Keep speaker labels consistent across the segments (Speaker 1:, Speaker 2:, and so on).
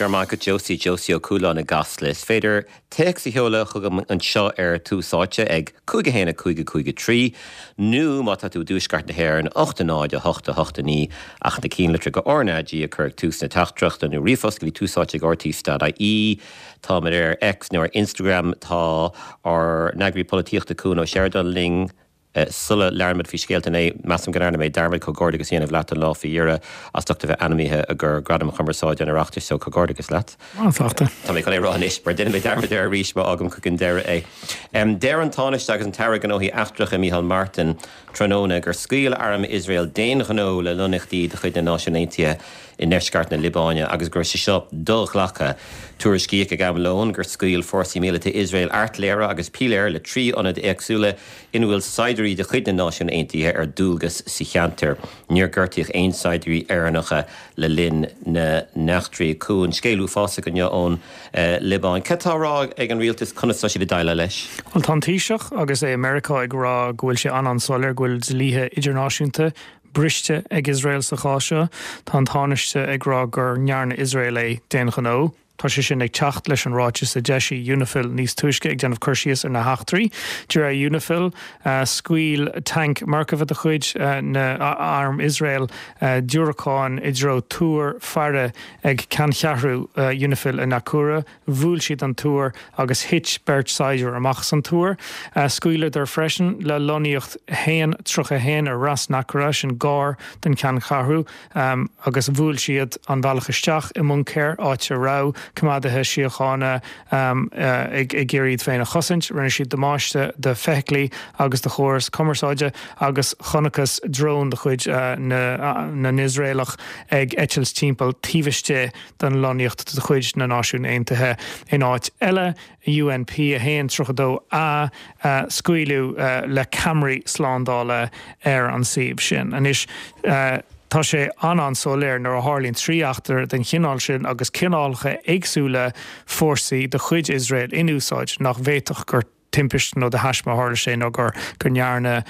Speaker 1: Go raibh maith agat Josie, Josie Ó Cualáin i gCasla. Is féidir téacs a sheoladh chugam anseo ar Tús Áite ag 5 1 5 5 3 nó má tá tú i dTuaisceart na hÉireann 8 0 8 8 9 ach na cinnlitreacha RnaG a chur ag tús na teachtaireachta nó ríomhphost go dtí túsáite@rte.ie. Táimid ar X nó ar Instagram. Tá ár n-eagraí polaitíochta Cuan Ó Seireadáin linn. Sula labhraímid faoi scéalta an lae, measaim go ndearna mé dearmad comhghairdeachas a dhéanamh leat an lá faoi dheireadh as ucht a bheith ainmnithe i gcomhair Gradaim Chumarsáide an Oireachtais, so comhghairdeachas leat.
Speaker 2: An-sásta.
Speaker 1: Tá mé chun é a rá anois mar déanfaidh mé dearmad air arís má fhágaim chuig an deireadh é. Deir an Tánaiste agus an tAire Gnóthaí Eachtracha Micheál Martin tráthnóna gur scaoil arm Iosrael d'aon ghnó le lonnaíochtaí de chuid na Náisiún Aontaithe i ndeisceart na Liobáine agus go raibh sé seo do-ghlactha. Tuairiscíodh ag am lóin gur scaoil fórsaí míleata Iosrael airtléire agus piléir le 3 ionad éagsúla ina bhfuil saighdiúirí de chuid na Náisiún Aontaithe ar dualgas sa cheantar. Níor gortaíodh aon saighdiúirí Éireannacha le linn na n-eachtraí. Cuan, scéal uafásach inniu ón Liobáin. Cad tá á rá ag an rialtas? Conas tá siad ag déileáil leis?
Speaker 2: Bhuel, tá an Taoiseach agus é i Meiriceá ag rá go bhfuil sé an-an-soiléir go bhfuil dlíthe idirnáisiúnta briste ag Iosrael sa chás seo. Tá an Tánaiste ag rá gur ndearna Iosrael é d'aon ghnó. Tá sé sin ag teacht leis an ráiteas a d'eisigh Unifil níos túisce ag déanamh cur síos ar na heachtraí. De réir Unifil, scaoil tanc Merkava de chuid na arm Iosrael diúracáin i dtreo túr faire ag ceanncheathrú Unifil i Naqoura. Bhuail siad an túr agus thit beirt saighdiúir amach as an túr. Scaoileadar freisin le lonnaíocht 1:31 ar Ras Naqoura, sin gar don cheanncheathrú, agus bhuail siad an bealach isteach i mbuncaer, áit a raibh coimeádaithe síochána ag iarraidh iad féin a chosaint. Rinne siad damáiste do feithiclí agus do chóras cumarsáide agus chonacthas drón de chuid na nIosraelach ag eitilt timpeall taobh istigh den lonnaíocht de chuid na Náisiún Aontaithe. In áit eile, UNP 1, 32 A, scaoileadh le ceamaraí slándála ar an suíomh sin. Anois, tá sé an-an-soiléir nuair a tharlaíonn 3 eachtra den chineál sin agus cineálacha éagsúla fórsaí de chuid Iosrael in úsáid nach bhféadfadh gur timpiste nó de thaisme a tharla sé nó gur go ndearna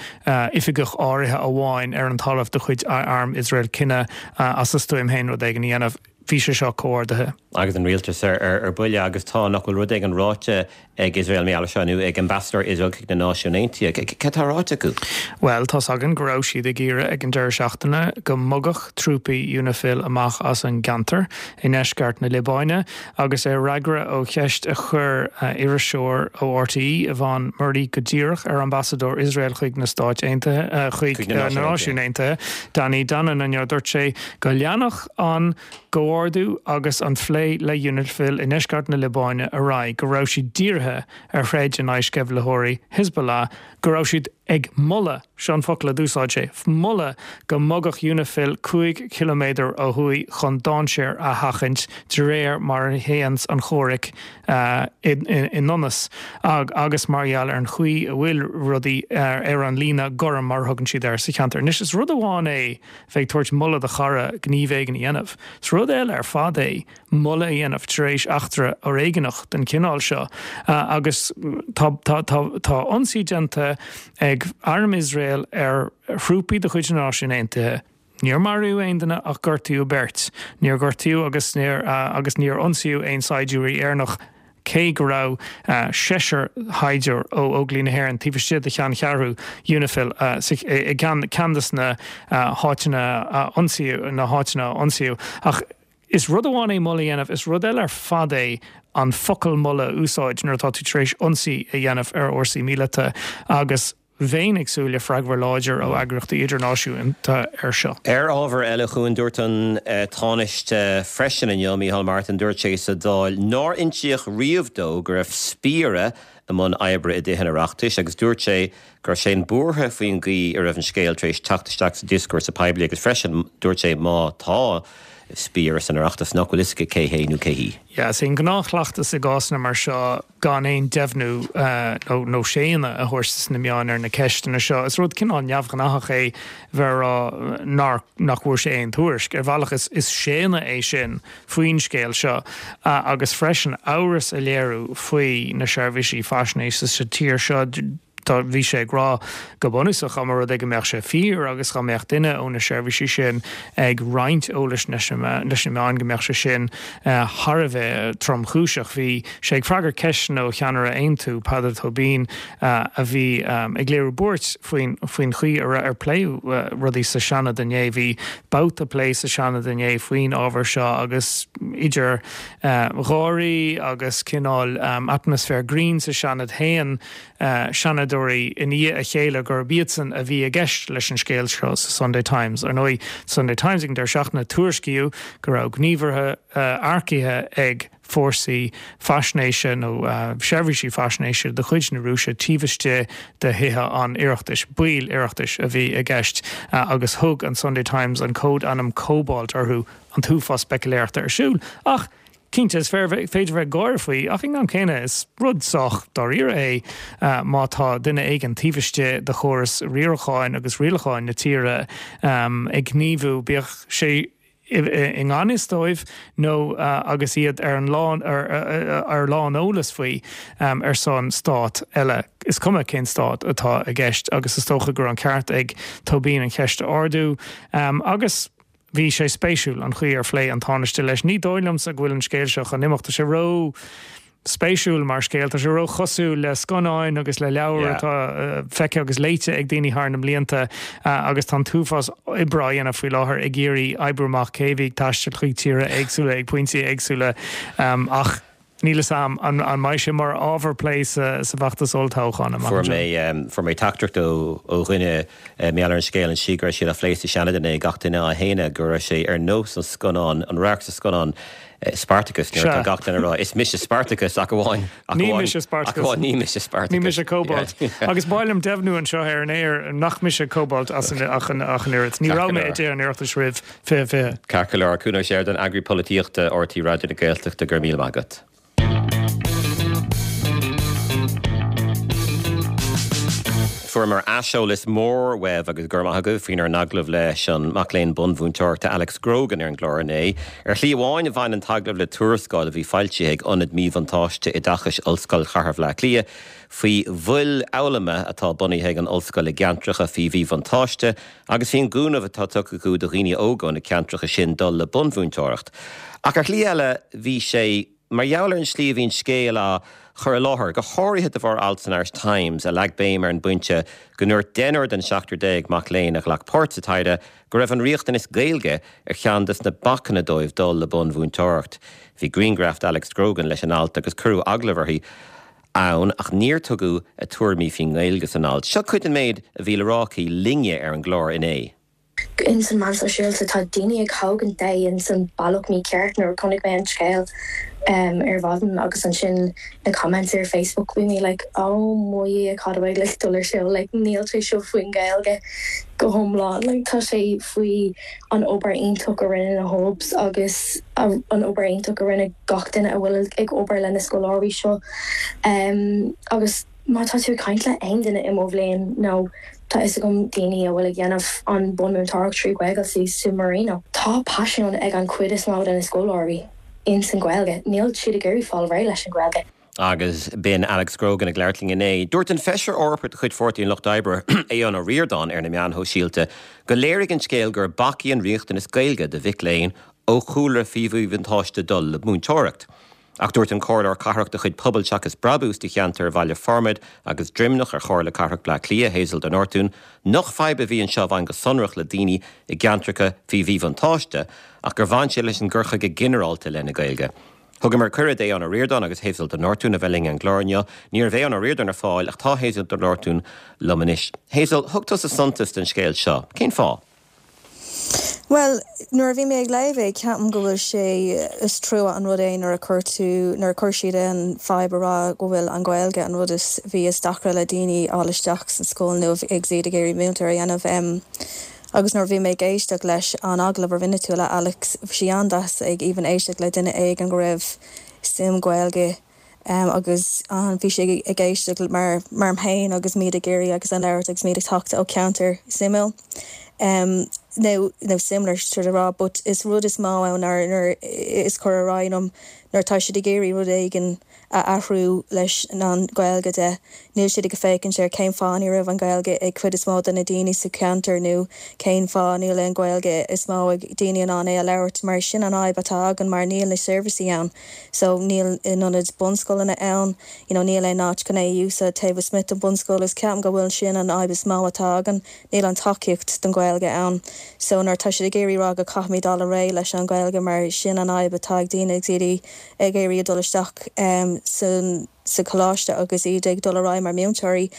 Speaker 2: oifigeach áirithe amháin ar an talamh de chuid arm Iosrael cinneadh as a stuaim féin rud éigin a dhéanamh. Bhí sé seo comhordaithe.
Speaker 1: Agus an rialtas ar buile agus tá, nach bhfuil rud éigin ráite ag Iosrael mar gheall air seo nó ag ambasadóir Iosrael chuig na Náisiúin Aontaithe. Cad tá ráite acu?
Speaker 2: Bhuel, tá's againn go raibh siad ag iarraidh ag an deireadh seachtaine go mbogfadh trúpaí Unifil amach as an gceantar i ndeisceart na Liobáine. Agus ar fhreagra ó cheist a chuir iriseoir ó RTÉ, Yvonne Murray, go díreach ar ambasadóir Iosrael chuig na Stáit Aontaithe, chuig na Náisiúin Aontaithe, Danny Danon inniu, dúirt sé go leanfadh an comhordú agus an phlé le Unifil i ndeisceart na Liobáine ar aghaidh, go raibh siad dírithe ar throid in aghaidh sceimhlitheoirí Hezbollah, go raibh siad ag moladh, seo an focal a d'úsáid sé, moladh go mbogfadh Unifil 5 chiliméadar ó thuaidh chun dainséar a sheachaint de réir mar a théanns an chomhrac i ndonas agus mar gheall ar an chaoi a bhfuil rudaí ar an líne gorm mar a thugann siad air sa cheantar. Anois is rud amháin é bheith ag tabhairt moladh do chara gníomh éigin a dhéanamh. Is rud eile ar fad é moladh a dhéanamh tar éis eachtra fhoréigeanach den chineál seo agus tá tá ionsaí déanta ag arm Iosrael ar thrúpaí de chuid na Náisiún Aontaithe. Níor maraíodh aon duine ach gortaíodh beirt. Níor gortaíodh agus níor agus níor ionsaíodh aon saighdiúirí Éireannach cé go raibh seisear shaighdiúir ó Óglaigh na hÉireann taobh istigh de cheanncheathrú Unifil i gceann de na háiteanna a ionsaíodh na háiteanna a ionsaíodh. Ach Is rud amháin é moladh a dhéanamh, is rud eile ar fad é an focal moladh a úsáid nuair atá tú tar éis ionsaí a dhéanamh ar fhórsaí míleata agus bheinn ag súil le freagra láidir ó eagraíochtaí idirnáisiúnta air seo.
Speaker 1: Ar ábhar eile, a Chuain, dúirt an Tánaiste freisin inniu, Micheál Martin, dúirt sé sa Dáil nár insíodh riamh dó go raibh spiaire i mbun oibre i dTithe an Oireachtais agus dúirt sé go raibh sé buartha faoin gcaoi a raibh an scéal tar éis teacht isteach sa dioscúrsa poiblí agus freisin dúirt sé má tá spiaire san Oireachtas nach bhfuil fhios aige cé hé nó cé hí.
Speaker 2: Yeah, is é an gnáthchleachtas i gcásanna mar seo gan aon deimhniú nó nó séanadh a thabhairt sna meáin ar na ceisteanna seo. Is rud cineál neamhghnáthach é bheith ag rá nár nach bhfuair sé aon tuairisc. Ar bhealach is is séanadh é sin faoin scéal seo agus freisin amhras a léiriú faoi na seirbhísí faisnéise sa tír seo. Tá, bhí sé ag rá go bunúsach dá mba rud é go mbeadh sé fíor agus dá mbeadh duine ó na seirbhísí sin ag roinnt eolais leis na meáin go mbeadh sé sin thar a bheith tromchúiseach. Bhí sé ag freagairt ceisteanna ó cheannaire Aontú, Peadar Tóibín, a bhí ag léiriú buairt faoin faoin chaoi ar ar pléadh rudaí sa Seanad inné. Bhí babhta plé sa Seanad inné faoin ábhar seo agus idir gháirí agus cineál atmaisféar grinn sa Seanad shéan Seanadóirí i ndiaidh a chéile gurb iadsan a bhí i gceist leis an scéal seo sa Sunday Times. Ar ndóigh, Sunday Times ag an deireadh seachtaine, tuairiscíodh go raibh gníomhartha earcaithe ag fórsaí faisnéise nó seirbhísí faisnéise de chuid na Rúise taobh istigh de Thithe an Oireachtais. Baill Oireachtais a bhí i gceist agus thug an Sunday Times an cód-ainm Cobalt orthu, an t-uafás speicealéireachta ar siúl. Ach Cinnte, is féidir bheith ag gáire faoi, ach ag an am céanna, is rud sách dáiríre é má tá duine éigin taobh istigh de chóras riaracháin agus rialacháin na tíre ag gníomhú, bíodh sé i ngan fhios dóibh nó agus iad ar an lán ar láneolas faoi, ar son stát eile. Is cuma cén stát atá i gceist agus is dócha go raibh an ceart ag Tóibín an cheist a ardú. Agus. Bhí sé spéisiúil an chaoi ar phléigh an Tánaiste leis. Ní dóigh liomsa go bhfuil an scéal seo chun imeacht. Tá sé ró spéisiúil mar scéal. Tá sé ró chosúil le scannáin agus le leabhair atá feicthe agus léite ag daoine thar na mblianta agus tá an t-uafás oibre á dhéanamh faoi láthair ag iarraidh oibriú amach cé a bhí ag taisteal chuig tíortha éagsúla ag pointí éagsúla ach Níl fhios a'm an mbeidh sé mar ábhar plé sa bhfeachtas olltoghcháin amach
Speaker 1: anseo. Fuair mé teachtaireacht ó dhuine mar gheall ar an scéal ansin go raibh sé á phlé sa Seanad inné, gach duine á shéanadh go raibh sé ar nós an scannán, an radharc sa scannán Spartacus nuair atá gach duine ag rá 'Is mise Spartacus' ach amháin, ach
Speaker 2: Ní mise Spartacus.
Speaker 1: Ach amháin ní mise Spartacus.
Speaker 2: Ní mise Cobalt. Agus ba mhaith liom deimhniú anseo ar an aer nach mise Cobalt ach an oiread. Ní raibh mé i dTithe an Oireachtais roimh 2020.
Speaker 1: Ceart go leor, Cuan Ó Seireadáin, Eagraí Polaitíochta RTÉ Raidió na Gaeltachta, go raibh míle maith agat. Fuaireamar aiseolas mór uaibh agus go raibh maith agaibh faoinár n-agallamh leis an mac léinn bunmhúinteoireachta Alex Grogan ar an gclár inné. Ar shlí amháin bhain an t-agallamh le tuarascáil a bhí foilsithe ag Ionad Míbhuntáiste Oideachais Ollscoil Chathair Bhaile Átha Cliath faoi mhoil fhoghlama atá bunaithe ag an ollscoil i gceantracha faoi mhíbhuntáiste agus faoin gcúnamh atá tugtha acu do dhaoine óga ó na ceantracha sin dul le bunmhúinteoireacht. Ach ar shlí eile bhí sé mar gheall ar an slí a bhí an scéal á chur i láthair, go háirithe de bharr alt san Irish Times a leag béim ar an bpointe go ndúirt deichniúr den 17 mac léinn a ghlac páirt sa taighde go raibh an riachtanas Gaeilge ar cheann des na bacanna dóibh dul le bunmhúinteoireacht. Bhí grianghraf d'Alex Grogan leis an alt agus cuireadh agallamh uirthi. ann ach níor tugadh a tuairimí faoin nGaeilge san alt. Seo cuid den méid a bhí le rá aici linne ar an gclár inné.
Speaker 3: Ins an meán sóisialta tá daoine ag thógaint é ins an bealach mícheart nuair a chonaic mé an scéal ar mhaidin agus ansin na comments ar Facebook bhí mé like oh mo Dhia cad a bhfuil ag dul ar siúl like níl sé seo faoin Ghaeilge go hiomlán like tá sé faoi an obair iontach a rinne na hubs agus an obair iontach a rinne gach duine a bhfuil ag obair le na scoláirí seo. Agus má tá tú ag caint le aon duine i mo bhliain nó tá fhios agam daoine a bhfuil ag dhéanamh an bunmúinteoireacht trí Ghaeilge sa Marino, tá paisean ag an chuid is mó de na scoláirí ins an Ghaeilge. Níl siad ag iarraidh fáil réidh leis an Ghaeilge.
Speaker 1: Agus b'in Alex Grogan ag labhairt linn inné. Dúirt an Feisire Eorpach de chuid Pháirtí an Lucht Oibre, Aodhán Ó Ríordáin, ar na meáin shóisialta go léirigh an scéal gur bac í an riachtanas Gaeilge do mhic léinn ó chúlra faoi mhíbhuntáiste dul le múinteoireacht. Ach dúirt an Comhairleoir Cathrach de chuid Pobal Seachas Brabús do cheantar Bhaile Formaid agus Droimneach ar Chomhairle Cathrach Bleá Cliath, Hazel de Nortúin, nach fadhb a bhí anseo a bhain go sonrach le daoine i gceantracha faoi mhíbhuntáiste ach gur bhain sé leis an gcur chuige ginearálta i leith na Gaeilge. Thugamar cuireadh d'Aodhán Ó Ríordáin agus Hazel de Nortúin a bheith linn ar an gclár inniu. Ní raibh Aodhán Ó Ríordáin ar fáil ach tá Hazel de Nortúin liom anois. Hazel, thug tusa suntas don scéal seo. Cén fáth?
Speaker 4: Bhuel, nuair a bhí mé ag léamh é, ceapaim go bhfuil sé, is trua an rud é nuair a chuir tú, nuair a chuir siad an fadhb a rá go bhfuil an Ghaeilge an rud is, bhí is deacra le daoine fháil isteach sa scoil nó agus iad ag iarraidh múinteoir a dhéanamh. Agus nuair a bhí mé ag éisteacht leis an agallamh a rinne tú le Alex, bhí sé an-deas ag even éisteacht le duine éigin go raibh suim Gaeilge agus bhí sé ag éisteacht mar mar féin agus muid ag iarraidh agus an labhairt agus muid ag teacht ó ceantar suimiúil nó nó similar sort of rá but is rud is mó ann nuair is cur ar aghaidh liom nuair atá siad ag iarraidh rud éigin. a athrú leis an Ghaeilge de. Níl siad ag féachaint ar cén fáth ní raibh an Ghaeilge ag cuid is mó de na daoine sa cheantar nó cén fáth níl aon Ghaeilge is mó ag daoine in ann é a labhairt mar sin an fhadhb atá againn mar níl na seirbhísí ann so níl ionad bunscoileanna ann you know níl aon áit chun é a úsáid taobh istigh den bunscoil is ceapaim go bhfuil sin an fhadhb is mó atá againn níl an tacaíocht don Ghaeilge ann so nuair atá siad ag iarraidh rá go caithfimid dul ar aghaidh leis an Ghaeilge mar sin an fhadhb atá ag daoine agus iad ag iarraidh dul isteach san sa choláiste agus iad ag dul ar aghaidh mar mhúinteoirí,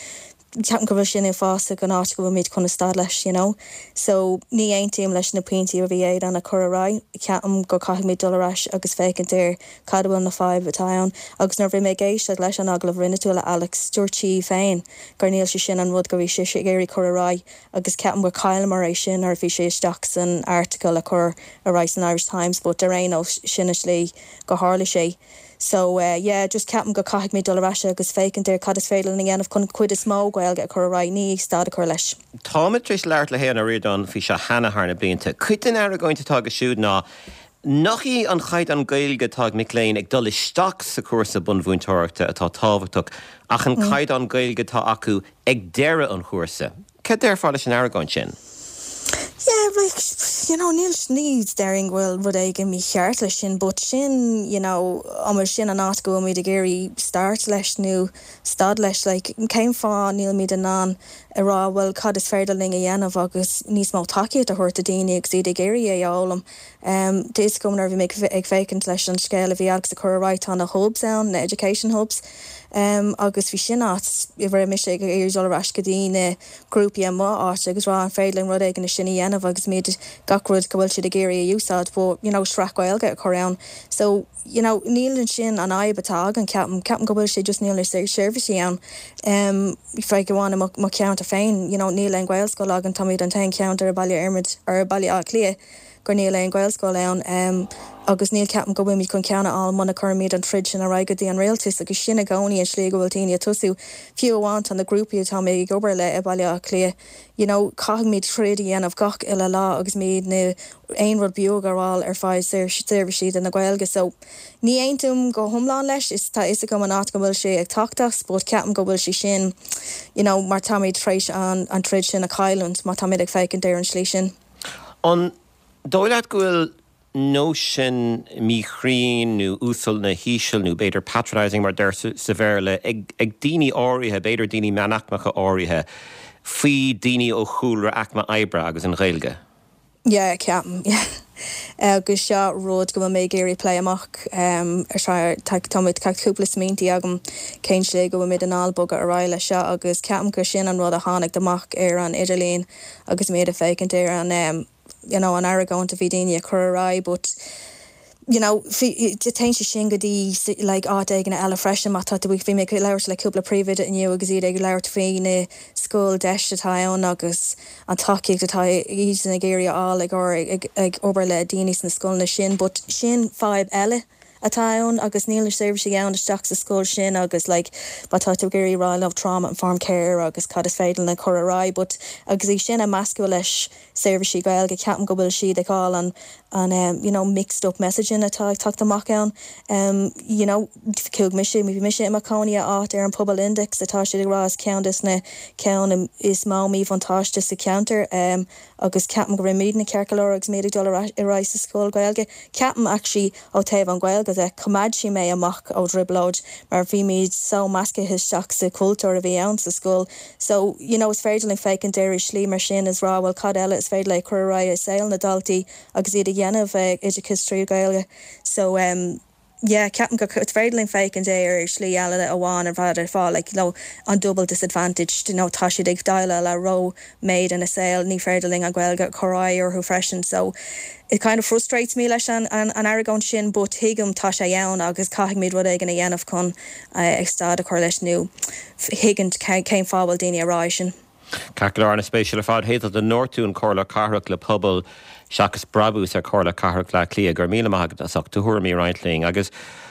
Speaker 4: ceapaim go bhfuil sin uafásach an áit go bhfuilimid chun a stad leis, you know. So, ní aontaím leis na pointí a bhí Aodán a chur ar aghaidh, ceapaim go caithfimid dul ar ais agus féachaint ar cad a bhfuil na fadhb atá ann. Agus nuair a bhí mé ag éisteacht leis an agallamh a rinne tú le Alex, dúirt sí féin gur níl sé sin an rud go bhí sise ag iarraidh cur ar aghaidh agus ceapaim gur chailleamar é sin nuair a bhí sé isteach san article a chur ar aghaidh san Irish Times but ar aon nós sin an slí go tharla sé. So yeah, just ceapaim go caithfimid dul ar ais agus féachaint ar cad is féidir linn a dhéanamh chun cuid is mó Gaeilge a chur ar aghaidh, ní stad a chur leis.
Speaker 1: Táimid tar éis labhairt le hAodhán Ó Ríordáin faoi seo cheana thar na blianta. Cuid den argóint atá aige siúd ná nach í an chaighdeán Gaeilge atá ag mic léinn ag dul isteach sa chúrsa bunmhúinteoireachta atá tábhachtach ach an caighdeán Gaeilge atá acu ag deireadh an chúrsa. Cad déarfá leis an argóint sin?
Speaker 4: Yeah, like, you know, níl, ní déarfainn go bhfuil rud éigin mícheart leis sin, but sin, you know, an bhfuil sin an áit go bhfuilimid ag iarraidh start leis nó stad leis, like, cén fáth nílimid in ann a rá, bhuel, cad is féidir linn a dhéanamh agus níos mó tacaíocht a thabhairt do daoine agus iad ag iarraidh é a fhoghlaim. Tá fhios agam nuair a bhí mé ag féachaint leis an scéal a bhí Alex a chur ar aghaidh, tá na hubs ann, na education hubs, agus bhí sin áit a raibh mise ag iarraidh dul ar ais go dtí na grúpaí i mo áit agus rá an féidir linn rud éigin sin a dhéanamh agus muid gach rud go bhfuil siad ag iarraidh a úsáid but you know sraith Gaeilge a chur ann. So you know níl ansin an fhadhb atá againn ceapaim, ceapaim go bhfuil sé just níl na seirbhísí ann. Fiú amháin i mo cheantar féin you know níl aon Ghaelscoil againn, táimid an t-aon cheantar i Baile Fhormaid or Baile Átha Cliath gur níl aon Ghaelscoil ann agus níl ceapaim go bhfuilimid chun ceann a fháil muna cuirimid an troid sin ar aghaidh go dtí an rialtas agus sin i gcónaí an slí go bhfuil daoine ag tosú. Fiú amháin tá na grúpaí atá mé ag obair le i Baile Átha Cliath you know caithfimid troid a dhéanamh gach uile lá agus muid na aon rud beag a fháil ar fáil seirbhísí do na Gaeilge so ní aontaím go hiomlán leis is tá fhios agam an áit go bhfuil sé ag teacht as but ceapaim go bhfuil sé sin you know mar táimid tar éis an an troid sin a chailliúint má táimid ag féachaint ar an slí sin.
Speaker 1: An dóigh leat go bhfuil nóisean míchruinn nó uasal nó híseal nó b'fhéidir patronising mar a deirtear sa Bhéarla ag daoine áirithe, b'fhéidir daoine meánaicmeacha áirithe, faoi daoine ó chúlra aicme oibre agus an Ghaeilge?
Speaker 4: Yeah, ceapaim, yeah. Agus seo rud go bhfuil mé ag iarraidh plé amach ar seo, tá tá cúpla smaointí agam cén slí go bhfuil muid in ann bogadh ar aghaidh leis seo agus ceapaim gur sin an rud a tháinig amach ar an idirlíon agus muid ag féachaint ar an you know an argóint a bhí daoine ag cur ar aghaidh but you know téann sé sin go dtí like áit éigin eile freisin má tá tú bhí mé ag labhairt le cúpla príomhoide inniu agus iad ag labhairt faoi na scoil deis atá ann agus an tacaíocht atá iadsan ag iarraidh a fháil ag ag ag obair le daoine sna scoileanna sin but sin fadhb eile atá ann agus níl na seirbhísí ann isteach sa scoil sin agus like má tá tú ag iarraidh rá leo trauma informed care agus cad is féidir linn cur ar aghaidh but agus í sin a meascadh leis seirbhísí Gaeilge ceapaim go bhfuil siad ag fáil an an um you know mixed up messaging atá ag teacht amach ann um you know chuaigh mise bhí mise i mo chónaí i áit ar an Pobal Index atá siad ag rá is ceann des na ceann is mó míbhuntáiste sa cheantar um agus ceapaim go raibh muidne ceart go leor agus muid ag dul ar aghaidh sa scoil Gaeilge. Ceapaim actually ó taobh an Ghaeilge de, choimeád sí mé amach ó dtrioblóid mar bhí muid so measctha isteach sa chultúr a bhí ann sa scoil. So, you know, is féidir linn féachaint ar i slí mar sin is rá bhuel cad eile is féidir le cur ar aghaidh i saol na daltaí agus iad a dhéanamh oideachas trí Ghaeilge. So, um. yeah ceapaim go is féidir linn féachaint é ar shlí eile amháin ar fad ar fáil like you know an double disadvantage you know tá siad ag déileáil le ró méid ina saol ní féidir linn an Ghaeilge a chur ar aghaidh orthu freisin so it kind of frustrates me leis an an an argóint sin but tuigim tá sé ann agus caithfimid rud éigin a dhéanamh chun ag stad a chur leis nó thuigint cén fáth bhfuil daoine ag rá é sin.
Speaker 1: Ceart go leor, an-spéisiúil ar fad. Hazel de Nortún, Comhairleoir Cathrach le Pobal seachas Brabús ar Chomhairle Cathrach Bhaile Átha Cliath. Go raibh míle maith agat as ucht do thuairimí a roinnt linn agus.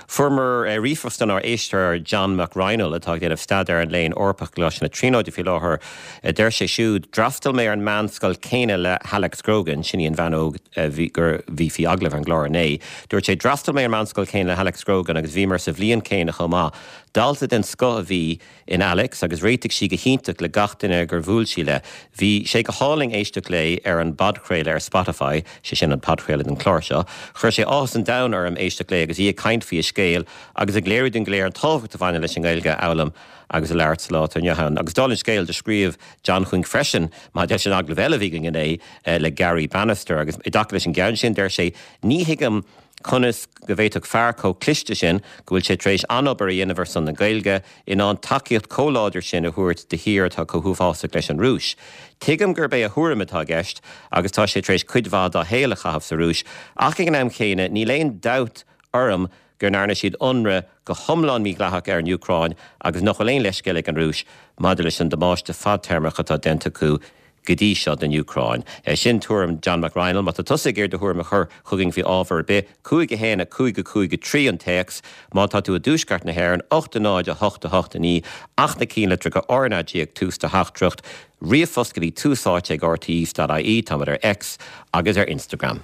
Speaker 1: Fuaireamar ríomhphost ónár éisteoir John Mac Raghnaill atá ag déanamh staidéar an Léinn Eorpaigh i gColáiste na Tríonóide faoi láthair. Deir sé siúd, D'fhreastail mé ar an meánscoil céanna le hAlex Grogan, sin í an bhean óg a bhí gur bhí faoi agallamh ar an gclár inné. Dúirt sé, D'fhreastail mé ar an meánscoil céanna le hAlex Grogan agus bhíomar sa bhliain céanna chomh maith. Dalta den scoth a bhí in Alex agus réitigh sí go hiontach le gach duine gur bhuail sí le. Bhí sé go hálainn éisteacht léi ar an bpodchraoladh ar Spotify, sé sin an podchraoladh den chlár seo. Chuir sé áthas an domhain orm éisteacht léi agus í ag caint faoi a scéal agus ag léiriú dúinn go léir an tábhacht a bhaineann leis an nGaeilge a fhoghlaim agus a labhairt sa lá atá inniu ann. Agus dála an scéil, do scríobh John chugainn freisin maidir leis an agallamh eile a bhí againn inné le Garry Bannister agus i dtaca leis an gceann sin, deir sé, Ní thuigim Conas go bhféadfadh fear chomh cliste sin, go bhfuil sé tar éis an-obair a dhéanamh ar son na Gaeilge, in ann tacaíocht chomh láidir sin a thabhairt do thír atá chomh huafásach leis an Rúis? Tuigim gurb é a thuairim atá i gceist agus tá sé tar éis cuid mhaith dá shaol a chaitheamh sa Rúis, ach ag an am chéanna níl aon dabht orm go ndearna siad ionradh go hiomlán mídhleathach ar an Úcráin agus nach bhfuil aon leithscéal ag an Rúis maidir leis an damáiste fadtéarmach atá déanta acu go dtí seo don Úcráin. Sin tuairim John Mac Raghnaill. Má tá tusa ag iarraidh do thuairim a chur chugainn faoi ábhar ar bith, 5 1 5 5 3 an téacs. Má tá tú i dtuaisceart na hÉireann, 8 0 8 8 9 ach na cinnlitreacha RnaG ag tús do theachtaireacht. Ríomhphost go dtí tús áite ag rte.ie. Táimid ar X agus ar Instagram.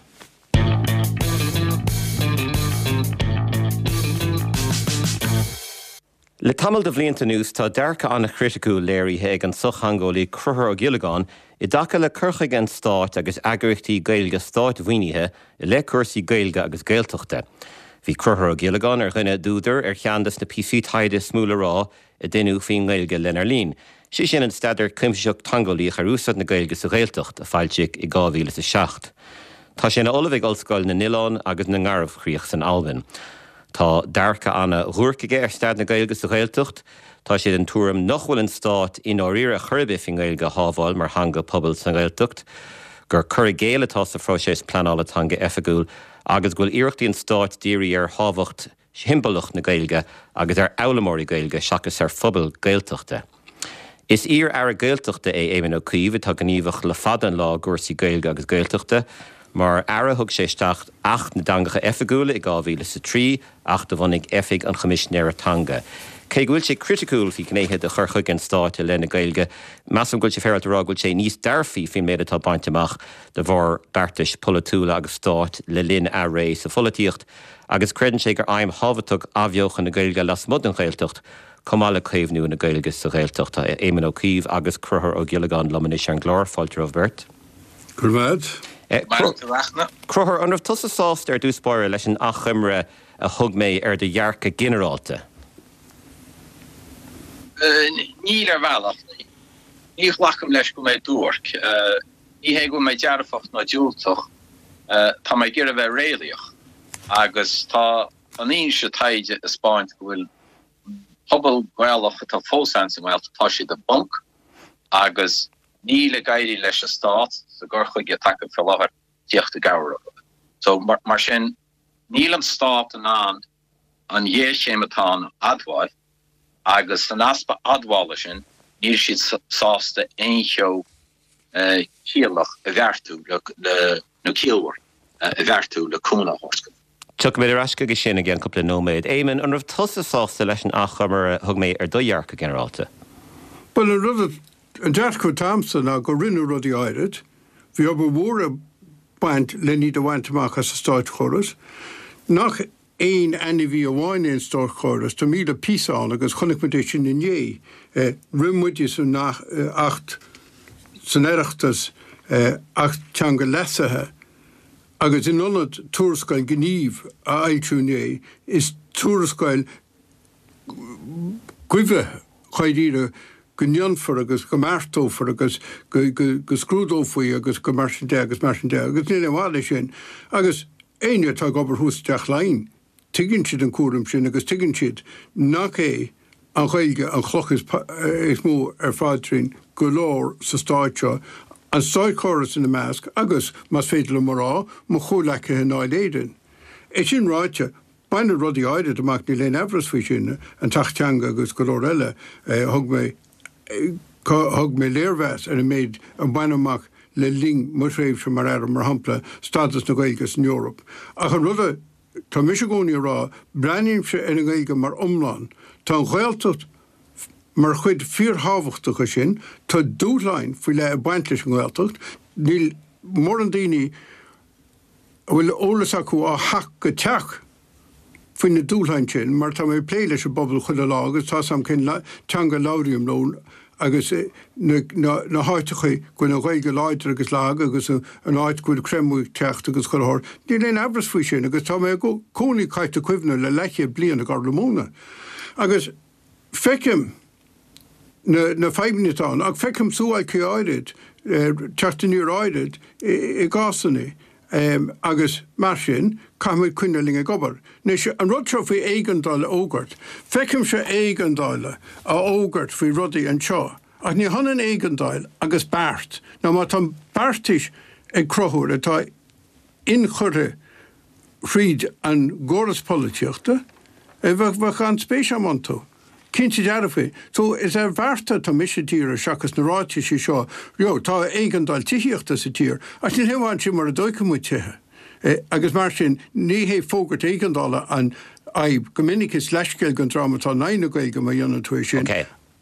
Speaker 1: Le tamall de bhlianta anuas tá dearcadh an-chriticiúil léirithe ag an sochtheangeolaí Conchúr Ó Giollagáin i dtaca le cur chuige an stáit agus eagraíochtaí Gaeilge státmhaoinithe i leith cúrsaí Gaeilge agus Gaeltachta. Bhí Conchúr Ó Giollagáin ar dhuine d'údair ar cheann de na píosaí taighde is mó le rá a deineadh faoin nGaeilge lenár linn, sé sin an Staidéar Cuimsitheach Teangeolaíoch ar Úsáid na Gaeilge sa Ghaeltacht, a foilsíodh i 2007. Tá sé ina ollamh ag Ollscoil na nOileán agus na nGarbhchríoch san Albain. Tá dearcadh ana-dhuairc aige ar staid na Gaeilge sa Ghaeltacht. Tá sé den tuairim nach bhfuil an stát i ndáiríre ar chor ar bith faoin nGaeilge a shábháil mar theanga pobail sa nGaeltacht, gur cur i gcéill atá sa phróiseas pleanála teanga oifigiúil agus go bhfuil iarrachtaí an stáit dírithe ar thábhacht shiombalach na Gaeilge agus ar fhoghlaimeoirí Gaeilge seachas ar phobal Gaeltachta. Is iar-aire Gaeltachta é Éamon Ó Cuív atá gníomhach le fada an lá i gcúrsaí Gaeilge agus Gaeltachta. Mar aire thug sé isteach Acht na dTeangacha Oifigiúla i 2003, acht a bhunaigh Oifig an Choimisinéara Teanga. Cé go bhfuil sé criticiúil faoi ghnéithe de chur chuige an stáit i leith na Gaeilge, measaim go bhfuil sé féaráilte a rá go bhfuil sé níos dearfaí faoin méid atá bainte amach de bharr beartais pholaitiúla agus stáit le linn a ré sa pholaitíocht. agus creideann sé gur aidhm thábhachtach athbheochan na Gaeilge lasmuigh den Ghaeltacht chomh maith le caomhnú na Gaeilge sa Ghaeltacht. Tá Éamon Ó Cuív agus Conchúr Ó Giollagáin liom anois ar an gclár. Fáilte romhaibh beirt.
Speaker 5: Go raibh maith
Speaker 1: agat. Conchúr, an raibh tusa sásta ar dtús báire leis an achoimre a thug mé ar do dhearcadh ginearálta?
Speaker 5: Níl, ar bhealach. Ní ghlacaim leis go bhfuil mé duairc. Ní hé go bhfuil mé dearfach ná diúltach, tá mé ag iarraidh a bheith réalaíoch agus tá an fhianaise taighde ag 'spáint go bhfuil an pobal Gaelach atá fós ann sa nGaeltacht, tá siad i bponc agus níl ag éirí leis an stát sa gcur chuige atá acu faoi láthair tíocht i gcabhair orthu. So mar sin níl an stát in ann an ghéarchéim atá ann a admháil agus san easpa admhála sin níl siad sásta aon cheo ciallach a bheartú le, nó ciallmhar a bheartú le cúnamh a thabhairt.
Speaker 1: Tiocfaimid ar ais chuige sin i gceann cúpla nóiméad. Éamon, an raibh tusa sásta leis an achoimre a thug mé ar do dhearcadh ginearálta?
Speaker 6: Bhuel, an rud, an dearcadh atá agamsa ná gur rinneadh rudaí áirid. Bhí obair mhór ag baint len iad a bhaint amach as an státchóras. Nach aon ainmhí amháin é an státchóras, tá 1,000 píosa ann agus chonaic muid é sin inné. Rith muide san Acht san Oireachtas, Acht Teanga leasaithe, agus in ionad tuarascáil gnímh a fhoilsiú inné, is tuarascáil goimhe dháiríre go ndéanfar agus go mbeartófar agus go scrúdófaí agus go mar sin de agus mar sin de agus níl aon mhaith leis sin. Agus éinne atá ag obair thuas i dTeach Laighean, tuigeann siad an cúram sin agus tuigeann siad nach é an Ghaeilge an chloch is mó ar phaidrín go leor sa stát seo, an státchóras ina measc agus, más féidir liom a rá, mo chomhleacaithe i nDáil Éireann. É sin ráite, Baineadh rudaí áirid amach, níl aon amhras faoi sin, an tAcht Teanga agus go leor eile. Thug mé, thug mé léirmheas ar an méid a baineadh amach le linn mo thréimhse mar Aire, mar shampla, stádas na Gaeilge san Eoraip. Ach an rud a. tá mise i gcónaí ag rá, breathnaímse ar an nGaeilge mar iomlán. Tá an Ghaeltacht mar chuid fíorthábhachtach de sin. Tá dúshláin faoi leith ag baint leis an nGaeltacht. Níl mórán daoine a bhfuil eolas acu ó theach go teach faoi na dúshláin sin mar tá mé ag plé leis an bpobal chuile lá agus tá 's a'm cén teanga a labhraím leo agus na háiteacha go bhfuil an Ghaeilge láidir agus lag agus an áit go bhfuil creimeadh ag teacht agus chuile shórt. Níl aon amhras faoi sin agus tá mé i gcónaí caite cuimhne le leathchéad bliain i gCorr na Móna agus feicim na na fadhbanna atá ann ach feicim suáilcí áirid, teacht aniar áirid i gcásanna agus mar sin caithfimid coinneáil linn ag obair. Anois, an rud seo faoi éigeandáil a fhógairt, feicimse éigeandáil á fhógairt faoi rudaí anseo ach ní hionann éigeandáil agus beart. Nó má tá beartais ag Conchúr atá inchurtha thríd an gcóras polaitíochta, bheadh an-spéis agam iontu. Cinnte dearfa. So, is ar bhearta atá mise ag díriú seachas na ráitisí seo, you know, tá éigeandáil tithíochta sa tír, ach níl aon mhaith ansin mura dtógfaidh muid tithe. Agus mar sin, ní hé fógairt éigeandála an fhadhb. Go minic is leithscéal don dream atá in aghaidh na Gaeilge má dhéanann tú é sin.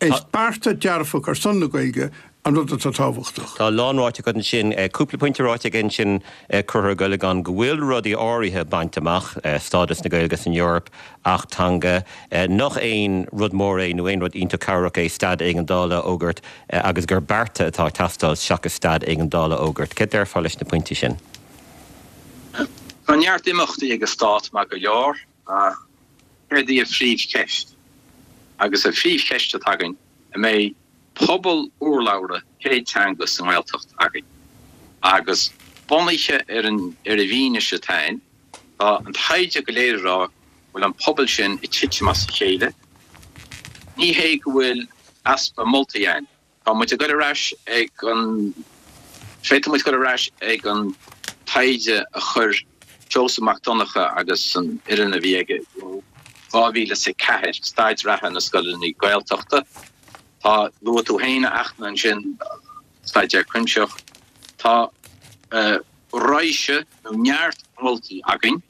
Speaker 6: Is bearta dearfach ar son na Gaeilge an rud atá tábhachtach.
Speaker 1: Tá a lán ráite agat ansin. Cúpla pointe ráite aige ansin, Conchúr Ó Giollagáin, go bhfuil rudaí áirithe bainte amach, stádas na Gaeilge san Eoraip, Acht Teanga, nach aon rud mór é nó aon rud iontach cabhrach é staid éigeandála a fhógairt agus gur bearta atá ag teastáil seachas staid éigeandála a fhógairt. Céard déarfá leis na pointí sin?
Speaker 5: Tá neart imeachtaí ag an stát maith go leor ach céard í an phríomhcheist? Agus an phríomhcheist atá againn, an mbeidh pobal urlabhra céad teanga sa nGaeltacht againn? Agus bunaithe ar an ar an bhfianaise atá ann, tá an taighde go léir ag rá go bhfuil an pobal sin ag titim as a chéile. Ní hé go bhfuil easpa moltaí ann. Tá muid ag dul ar ais ag an, féadfaidh muid dul ar ais ag an taighde a chuir Seosamh Mac Donncha agus an fhoireann a bhí aige ó 2004, Staid Reatha na Scoileanna Gaeltachta. Tá, luaigh tú féin a Fhachtna ansin, staidéar cuimsitheach. Tá raidhse nó neart moltaí againn.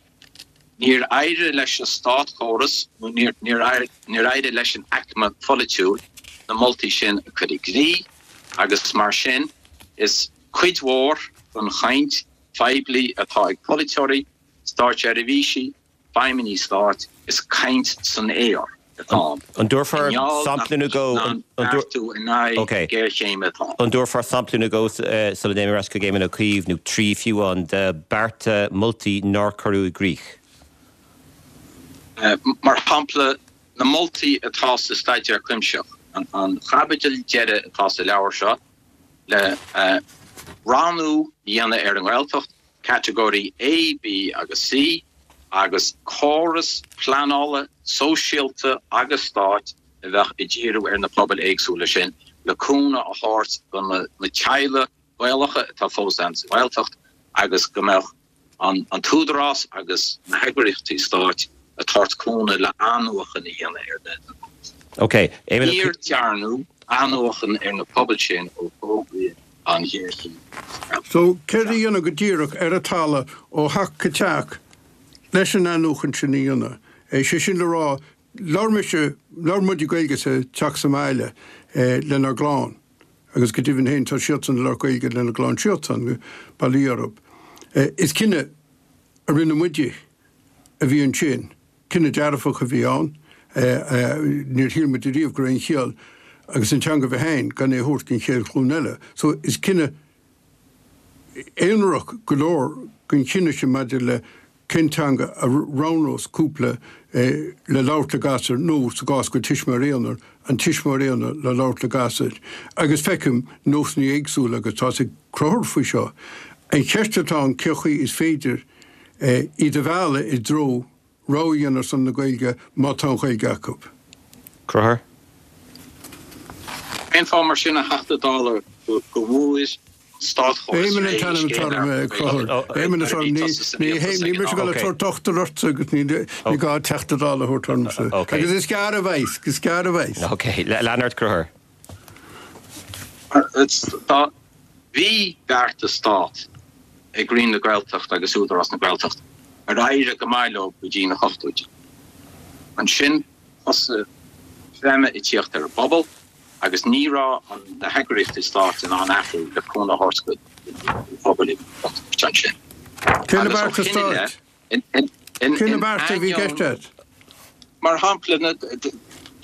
Speaker 5: Níor éirigh leis an státchóras nó níor éirigh leis an aicme pholaitiúil na moltaí sin a chur i gcrích agus mar sin is cuid mhór den chaint phoiblí atá ag polaiteoirí, státseirbhísigh, feidhmeannaigh stáit, is caint san aer atá ann.
Speaker 1: An dtabharfá sampla nó dhó?
Speaker 5: Beartú in aghaidh géarchéime atá ann.
Speaker 1: An dtabharfá sampla nó dhó sula dtéim ar ais chuig Éamon Ó Cuív, nó trí fiú amháin, de bearta, moltaí nár cuireadh i gcrích?
Speaker 5: Mar shampla, na moltaí atá sa staidéar cuimsitheach, an chaibidil deiridh atá sa leabhar seo, le rangú a dhéanamh ar an nGaeltacht, catagóirí A, B agus C, agus córas pleanála sóisialta agus stáit a bheadh ag díriú ar na pobail éagsúla sin le cúnamh a thabhairt do na teaghlaigh Ghaelacha atá fós ann sa Ghaeltacht agus go mbeadh an tÚdarás agus na heagraíochtaí stáit ag tabhairt cúnamh le athnuachan a dhéanamh ar na pobail sin. Níor dearnadh athnuachan ar na pobail sin ó fógraíodh an ghéarchéim sa Ghaeltacht.
Speaker 6: So, céard a dhéanamh go díreach ar an talamh ó theach go teach leis an athnuachan sin a dhéanamh? Sé sin le rá, labhair mise, labhair muide Gaeilge sa teach sa mbaile lenár gclann agus go deimhin féin tá siadsan ag labhairt Gaeilge lena gclann siadsan, bail ó Dhia orthu. Is cinneadh a rinne muide a bhí ansin. Cinneadh dearfach a bhí ann. Níor shíl muid ariamh go raibh aon chiall agus an teanga a bheith ann gan é a thabhairt don chéad ghlúin eile. So is cinneadh aonarach go leor den chinneadh sin maidir le cén teanga a roghnós cúpla le labhairt le gasúir nó, sa gcás go bhfuil tuismitheoir aonair, an tuismitheoir aonair le labhairt le gasúir. Agus feicim nósanna éagsúla agus tá's ag Conchúr faoi seo. An cheist atá ann cé chaoi is féidir iad a mhealladh i dtreo rogha a dhéanamh ar son na Gaeilge má tá an Ghaeilge acu.
Speaker 1: Conchúr.
Speaker 5: Cén fáth mar sin, a Theachta Dála, go bhfuair an státchóras
Speaker 6: Éamon an t-ainm atá orm, a Chonchúir. Éamon atá orm. Ní ní mise ag dul ag tabhairt dochtúir ortsa agus ní gá Teachta Dála a thabhairt ormsa. Agus is gearr a bheas, is gearr a bheas.
Speaker 1: Ok, lean ort, Conchúr.
Speaker 5: Tá, bhí beartas stáit ag Roinn na Gaeltachta agus Údarás na Gaeltachta. Ar éirigh go maith leo go dtí na hochtóidí. Ansin thosaigh creimeadh ag tíocht ar an bpobal agus ní raibh na heagraíochtaí stáit in ann athrú le cúnamh a thabhairt don phobal i gcontúirt ansin.
Speaker 6: Cé na bearta stáit? Cé na bearta a bhí i gceist agat?
Speaker 5: Mar shampla,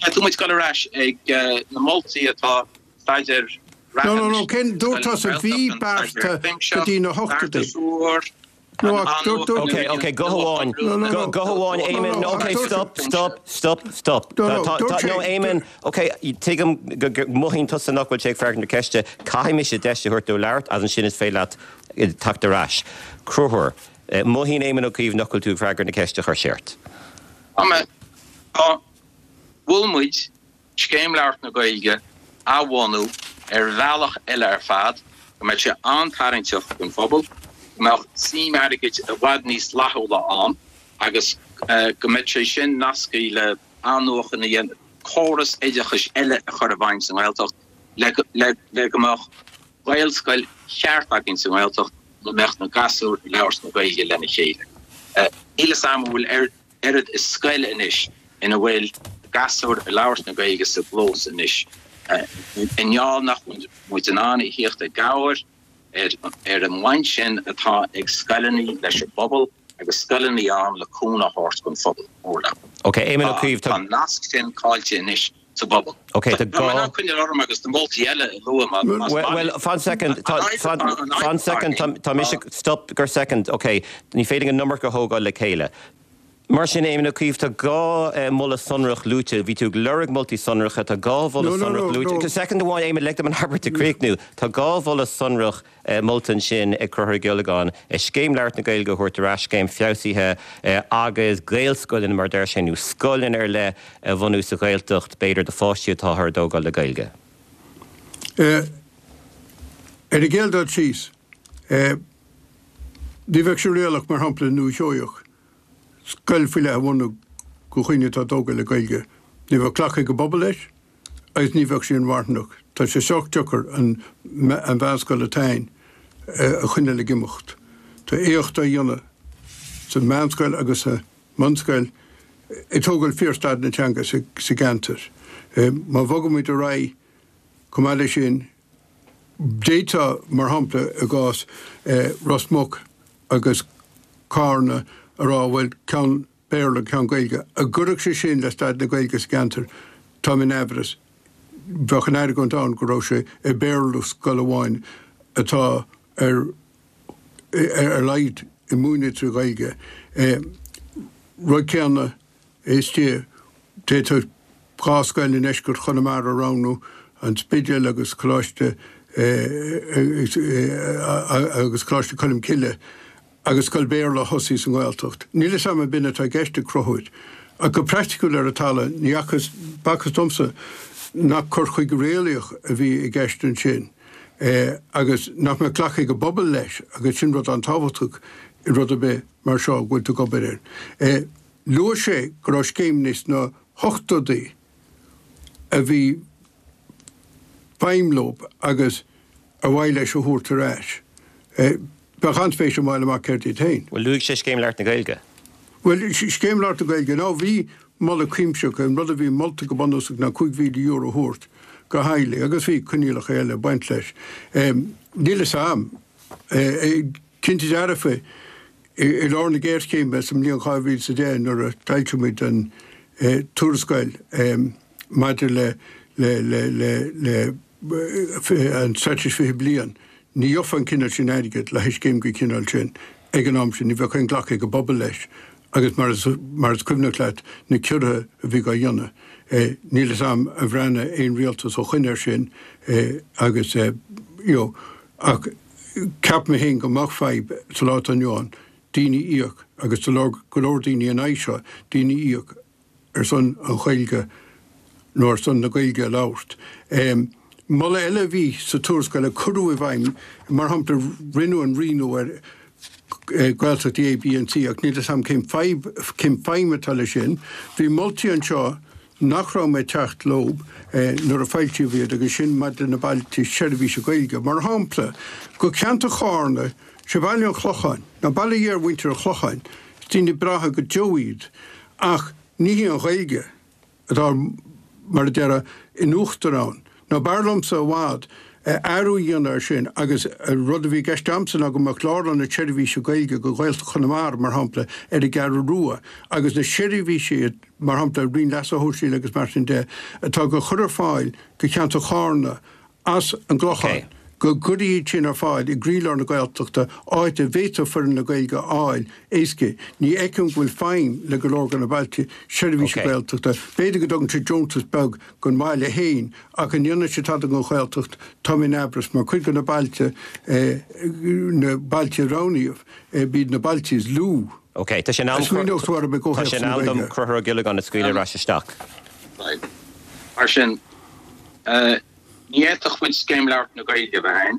Speaker 5: caithfidh muid dul ar ais ag na moltaí atá staidéar
Speaker 6: reatha No, no, no, cén, dúirt tusa bhí bearta go dtí na hochtóidí.
Speaker 1: No, ach dúirt, dúirt. Ok, ok, guth amháin, guth amháin, Éamon, ok, stop, stop, stop, stop. No, no, dúirt sé. No, Éamon, ok, tuigim go mothaíonn tusa nach bhfuil sé ag freagairt na ceiste, caithfidh mise deis a thabhairt dó labhairt agus ansin is féidir leat teacht ar ais. Conchúr, mothaíonn Éamon Ó Cuív nach bhfuil tú ag freagairt na ceiste a chuir sé ort.
Speaker 5: Tá mé, tá, mhol muid Scéim Labhairt na Gaeilge a bhunú ar bhealach eile ar fad, go mbeadh sé an-tarraingteach don phobal, go mbeadh suim airgid i bhfad níos flaithiúla ann agus go mbeadh sé sin nasctha le athnuachan a dhéanamh, córas oideachais eile a chur i bhfeidhm sa nGaeltacht le go mbeadh Gaelscoil cheart againn sa nGaeltacht ina mbeadh na gasúir ag labhairt na Gaeilge lena chéile. Níl 'fhios a'm an bhfuil oiread is scoil anois ina bhfuil gasúir ag labhairt na Gaeilge sa gclós anois. I ngeall nach bhfuil muid in ann a thíocht i gcabhair ar an mbaint sin atá ag scoileanna leis an bpobal agus scoileanna ann le cúnamh a thabhairt don phobal mór
Speaker 1: leathan. Tá
Speaker 5: an nasc sin caillte anois. sa bpobal.
Speaker 1: Ok, tá gá.
Speaker 5: Tá mé in ann coinneáil orm agus na moltaí eile a lua más maith
Speaker 1: leat. Bhuel, fan soicind, fan, fan soicind, tá mise, stop go soicind, ok, ní féidir an iomarca a thógáil le chéile. Mar sin, Éamon Ó Cuív, tá dhá mholadh sonrach luaite, bhí tú ag lorg moltaí sonracha, tá dhá mholadh sonrach luaite, soicind amháin, Éamon, lig dom an abairt a chríochnú, tá dhá mholadh sonrach molta ansin ag Conchúr Ó Giollagáin, Scéim Labhairt na Gaeilge a thabhairt ar ais, scéim feabhsaithe agus Gaelscoileanna, mar a deir sé, nó scoileanna ar leith a bhunú sa Ghaeltacht, b'fhéidir, do pháistí atáthar a dtógáil le Gaeilge.
Speaker 6: Ar an gcéad dul síos, ní bheadh sé réalaíoch, mar shampla, i nDúiche Sheoigheach, scoil faoi leith a bhunú do dhaoine atá tógtha le Gaeilge. Ní bheadh glacadh ag an bpobal leis. agus ní bheadh sé inmharthanach. Tá sé sách deacair an mheánscoil atá ann a choinneáil ag imeacht. Tá éacht á dhéanamh sa mheánscoil agus sa mbunscoil ag tógáil fíorstaid na teanga sa gceantar. Má bhogaimid ar aghaidh chomh maith leis sin, d'fhéadfá, mar shampla, i gcás Ros Muc agus Carna a rá, bhuel, ceann Béarla, ceann Gaeilge. An gcuirfeadh sé sin le staid na Gaeilge sa gceantar? Táim in aimhreas. Bheadh an argóint ann go raibh sé ag Béarlú scoil amháin atá ar ar a laghad ag múineadh trí Ghaeilge. Rud céanna istigh, d'fhéadfadh 2 scoil i ndeisceart Chonamara a roghnú, An Spidéal agus Coláiste agus Coláiste Cholmcille. agus scoil Bhéarla a thosaí sa nGaeltacht. Níl 'fhios a'm an b'in atá i gceist ag Conchúr. Ach go praiticiúil ar an talamh, ní fhacthas, b'fhacthas domsa nach cur chuige réalaíoch a bhí i gceist ansin agus nach mbeadh glacadh ag an bpobal leis agus sin rud an-tábhachtach i rud ar bith mar seo go bhfuil tú ag obair air. Luaigh sé go raibh scéimeanna sna hochtóidí a bhí feidhm leo agus ar mhaith leis a thabhairt ar ais. Bheadh an-spéis agam fháil amach céard iad féin.
Speaker 1: Bhuel, luaigh sé Scéim Labhairt na Gaeilge.
Speaker 6: Bhuel, Scéim Labhairt na Gaeilge, ná bhí moladh cuimsitheach, an rud a bhí molta go bunúsach ná €5,000 a thabhairt do theaghlaigh agus bhí coinníollacha eile ag baint leis. Níl 'fhios a'm. Cinnte dearfa, i lár na géarchéime sa mbliain 2010 nuair a d'fhoilsigh muid an tuarascáil maidir le le an Straitéis 20 Bliain, ní gheofá an cineál sin airgid le haghaidh scéim den chineál sin ag an am sin, ní bheadh aon ghlacadh ag an bpobal leis agus mar is mar is cuimhneach leat na ciorruithe a bhí á dhéanamh, níl 'fhios a'm ar bhreathnaigh aon rialtas ó shoin air sin agus you know ach ceapaim féin go mbeadh fadhb sa lá atá inniu ann daoine a íoc agus tá go leor daoine in aghaidh seo, daoine a íoc ar son an Ghaeilge nó ar son na Gaeilge a labhairt. Moladh eile a bhí sa tuarascáil a cuireadh i bhfeidhm, mar shampla, rinneadh an rianú ar Gaeltachtaí A, B and C ach níl 'fhios a'm cén fadhb, cén feidhm atá leis sin. Bhí moltaí anseo nach raibh mé ag teacht leo nuair a foilsíodh iad agus sin maidir le na bailte seirbhíse Gaeilge. Mar shampla, go ceantar Chárna, sé Baile an Chlocháin, nó baile iar-mhuintir an Chlocháin. Daoine breátha go deo iad ach ní hí an Ghaeilge atá, mar a déarfá, in uachtar ann. Nó b'fhearr liomsa i bhfad athrú a dhéanamh air sin agus an rud a bhí i gceist a'msa ná go mbeadh lárionad seirbhíse Gaeilge go Ghaeltacht Chonamara, mar shampla, ar an gCeathrú Rua agus na seirbhísí, mar shampla, Roinn Leasa Shóisialaigh agus mar sin de, atá go chur ar fáil go cheantar Chárna as an gClochán, go gcuirfí iad sin ar fáil i gcroílár na Gaeltachta, áit a bhféadfadh foireann na Gaeilge a fháil éasca. Ní fheicim go bhfuil feidhm le go leor de na bailte seirbhíse Gaeltachta. B'fhéidir go dtugann sé deontas beag don bhaile féin, ach an ndéanann sé tada don Ghaeltacht, tá mé in aimhreas, mar cuid de na bailte, na bailte a roghnaíodh, b'iad na bailte is lú.
Speaker 1: Ok, tá sé in am, tá sé in am dom Conchúr Ó Giollagáin a scaoileadh ar ais isteach.
Speaker 5: Mar sin, Ní fhéadfadh muid Scéim Labhairt na Gaeilge a bheith ann.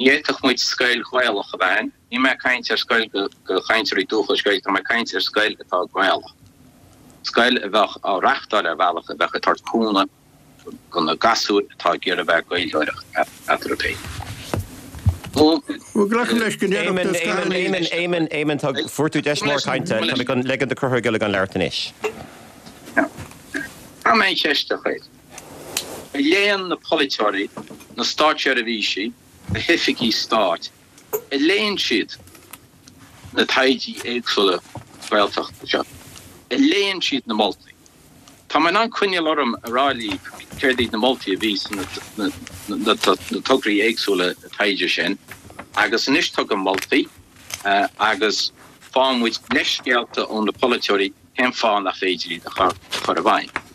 Speaker 5: Ní fhéadfadh muid scoil Ghaelach a bheith ann. Níl mé ag caint ar scoil do chainteoirí dúchais Gaeilge, tá mé ag caint ar scoil atá Gaelach. Scoil a bheadh á reachtáil ar bhealach a bheadh ag tabhairt cúnamh do na gasúir atá ag iarraidh a bheith ag Gaeilgeoireacht eatarthu féin.
Speaker 6: Bhuel, glacaim leis go ndéarfadh
Speaker 1: na scoileanna. Éamon, Éamon, Éamon, tá, fuair tú deis mhór cainte, tá mé chun ligean do Chonchúr Ó Giollagáin labhairt anois.
Speaker 5: Tá mé an cheist a chur. A léann na polaiteoirí, na státseirbhísigh, na hoifigigh stáit, a léann siad na taighdí éagsúla Gaeltachta seo? A léann siad na moltaí? Tá mé in ann coinneáil orm a rá libh céard iad na moltaí a bhí sna na tograí éagsúla taighde sin agus anois tugaim moltaí agus faigheann muid leithscéalta ó na polaiteoirí cén fáth nach féidir iad a chur i bhfeidhm.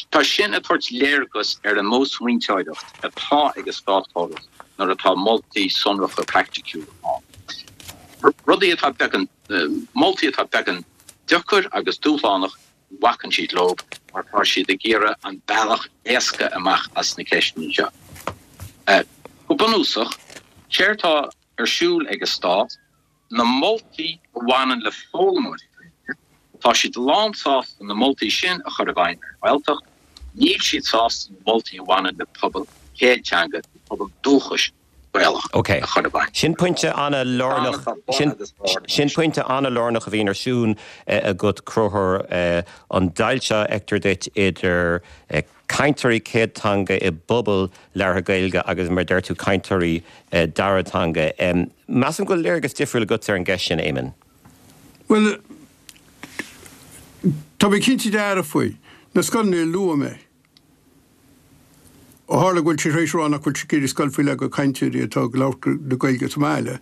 Speaker 5: Tá sin ag tabhairt léargas ar an modh smaointeoireacht atá ag an státchóras nuair atá moltaí sonracha praiticiúla ann. Rudaí atá beagán, moltaí atá beagán deacair agus dúshlánach, bacann siad leo mar tá siad ag iarraidh an bealach éasca amach as na ceisteanna seo. Go bunúsach, séard atá ar siúl ag an stát, na moltaí a bhaineann le foghlaimeoirí Gaeilge, tá siad lánsásta na moltaí sin a chur i bhfeidhm ar an nGaeltacht, níl siad sásta na moltaí a bhaineann le pobal chéad teanga, le pobal dúchais Gaelach a chur i bhfeidhm.
Speaker 1: Sin pointe an-lárnach, sin pointe an-lárnach a bhíonn ar siúl agat, Conchúr, an deighilt seo a fheictear duit idir cainteoirí céad teanga i bpobal labhartha Gaeilge agus, mar a deir tú, cainteoirí dara teanga. Measaim go bhfuil léargas difriúil agatsa ar an gceist sin, Éamon.
Speaker 6: Bhuel, tá mé cinnte dearfa faoi. Na scoileanna a luaigh mé, ó tharla go bhfuil sé tar éis a rá nach bhfuil sé ag iarraidh scoil faoi leith do chainteoirí atá ag labhairt na Gaeilge sa mbaile,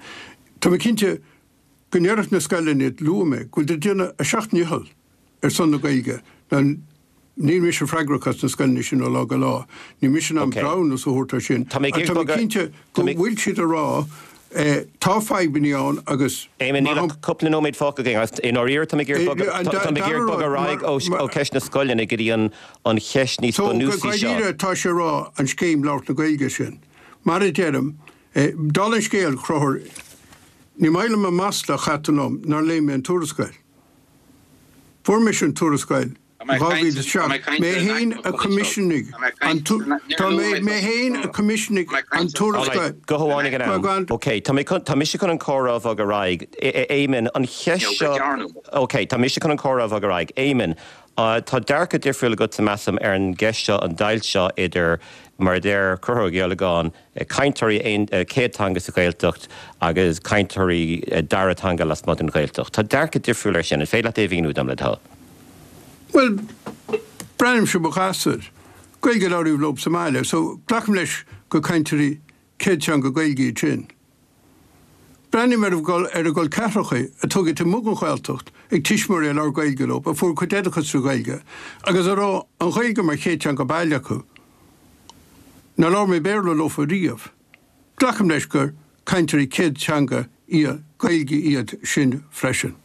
Speaker 6: tá mé cinnte go ndéarfadh na scoileanna a luaigh mé go bhfuil ag déanamh a seacht ndícheall ar son na Gaeilge. Now, níl mise freagrach as na scoileanna sin ó lá go lá. Níl mise in ann breithiúnas a thabhairt air sin. Ach tá mé cinnte go bhfuil siad ag rá tá fadhbanna ann agus
Speaker 1: Éamon, níl ach cúpla nóiméad fágtha againn agus i ndáiríre tá mé ag iarraidh bogadh ar aghaidh ó cheist na scoileanna go dtí an cheist níos bunúsaí
Speaker 6: seo. So, go dáiríre tá sé ag rá an scéim labhairt na Gaeilge sin. Mar a deirim, Dála an scéil, a Chonchúir, ní maith liom an masla a chaith tú liom nár léigh mé an tuarascáil. Fuair mise an tuarascáil in 2007. Mé féin a choimisiúnaigh an Tá mé mé féin a choimisiúnaigh an tuarascáil.
Speaker 1: Guth amháin ag an am. Ok, tá mé chun, tá mise chun an comhrá a bhogadh ar aghaidh. Éamon, an cheist seo, ok, tá mise chun an comhrá a bhogadh ar aghaidh. Éamon, tá dearcadh difriúil agatsa, measaim, ar an gceist seo, an deighilt seo idir, mar a deir Conchúr Ó Giollagáin, cainteoirí céad teanga sa Ghaeltacht agus cainteoirí dara teanga lasmuigh den Ghaeltacht. Tá dearcadh difriúil air sin. An féidir leat é a mhíniú dom, le do thoil?
Speaker 6: Bhuel, breathnaímse ar mo ghasúir. Gaeilge a labhraíodh leo sa mbaile, so glacaim leis gur cainteoirí céad teanga Gaeilge iad sin. Breathnaím ar ar a gcol ceathracha a tógadh taobh amuigh den Ghaeltacht ag tuismitheoirí a labhair Gaeilge leo, a fuair a gcuid oideachais trí Ghaeilge agus a raibh an Ghaeilge mar chéad teanga baile acu. Nár labhair mé Béarla leofa riamh. Glacaim leis gur cainteoirí céad teanga Gaeilge iad sin freisin.